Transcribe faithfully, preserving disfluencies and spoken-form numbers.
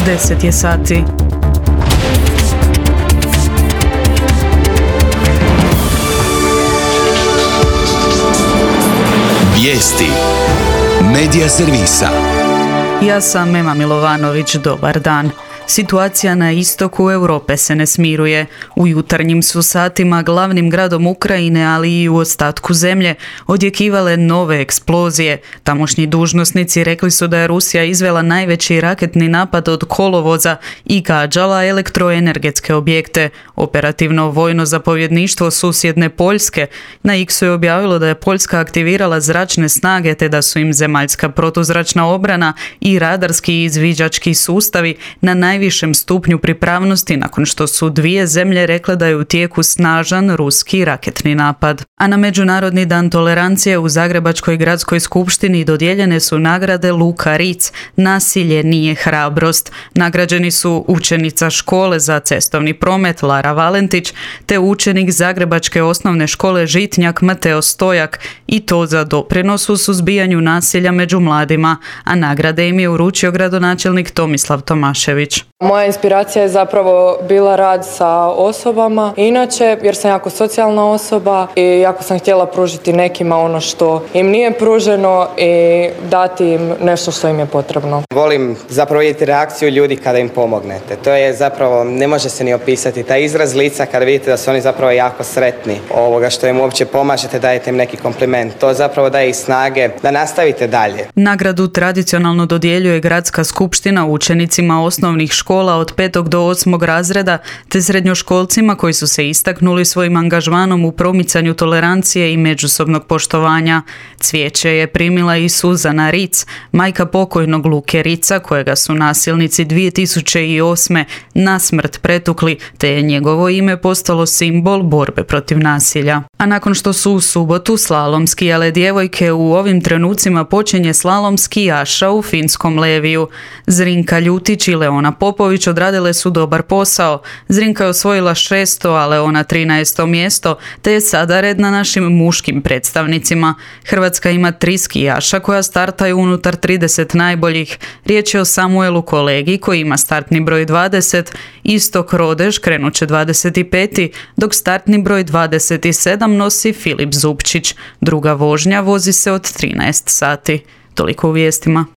deset je sati. Vijesti Medija servisa. Ja sam Ema Milovanović, dobar dan. Situacija na istoku Europe se ne smiruje. U jutarnjim su satima glavnim gradom Ukrajine, ali i u ostatku zemlje, odjekivale nove eksplozije. Tamošnji dužnosnici rekli su da je Rusija izvela najveći raketni napad od kolovoza i gađala elektroenergetske objekte. Operativno vojno zapovjedništvo susjedne Poljske na X-u je objavilo da je Poljska aktivirala zračne snage te da su im zemaljska protuzračna obrana i radarski izviđački sustavi na najvišem stupnju pripravnosti nakon što su dvije zemlje rekle da je u tijeku snažan ruski raketni napad. A na Međunarodni dan tolerancije u Zagrebačkoj gradskoj skupštini dodijeljene su nagrade Luka Ritz, nasilje nije hrabrost. Nagrađeni su učenica škole za cestovni promet Lara Valentić te učenik Zagrebačke osnovne škole Žitnjak Mateo Stojak, i to za doprinos u suzbijanju nasilja među mladima, a nagrade im je uručio gradonačelnik Tomislav Tomašević. Moja inspiracija je zapravo bila rad sa osobama, inače jer sam jako socijalna osoba i jako sam htjela pružiti nekima ono što im nije pruženo i dati im nešto što im je potrebno. Volim zapravo vidjeti reakciju ljudi kada im pomognete. To je zapravo, ne može se ni opisati, taj izraz lica kada vidite da su oni zapravo jako sretni ovoga što im uopće pomažete, dajete im neki kompliment. To zapravo daje i snage da nastavite dalje. Nagradu tradicionalno dodjeljuje gradska skupština učenicima osnovnih škola od petog do osmog razreda te srednjoškolcima koji su se istaknuli svojim angažmanom u promicanju tolerancije i međusobnog poštovanja. Cvijeće je primila i Suzana Ritz, majka pokojnog Luke Ritza, kojega su nasilnici dvije tisuće osme na smrt pretukli, te je njegovo ime postalo simbol borbe protiv nasilja. A nakon što su u subotu slalomski, ale djevojke, u ovim trenucima počinje slalom skijaša u finskom Leviju. Zrinka Ljutić i Leona Popović odradile su dobar posao. Zrinka je osvojila šesto, a Leona trinaesto mjesto, te je sada red na našim muškim predstavnicima. Hrvatska ima tri skijaša koja startaju unutar trideset najboljih. Riječ je o Samuelu Kolegi koji ima startni broj dvadeset, Istok Rodež krenuće dvadeset peti, dok startni broj dvadeset sedam nosi Filip Zupčić. Druga vožnja vozi se od trinaest sati. Toliko u vijestima.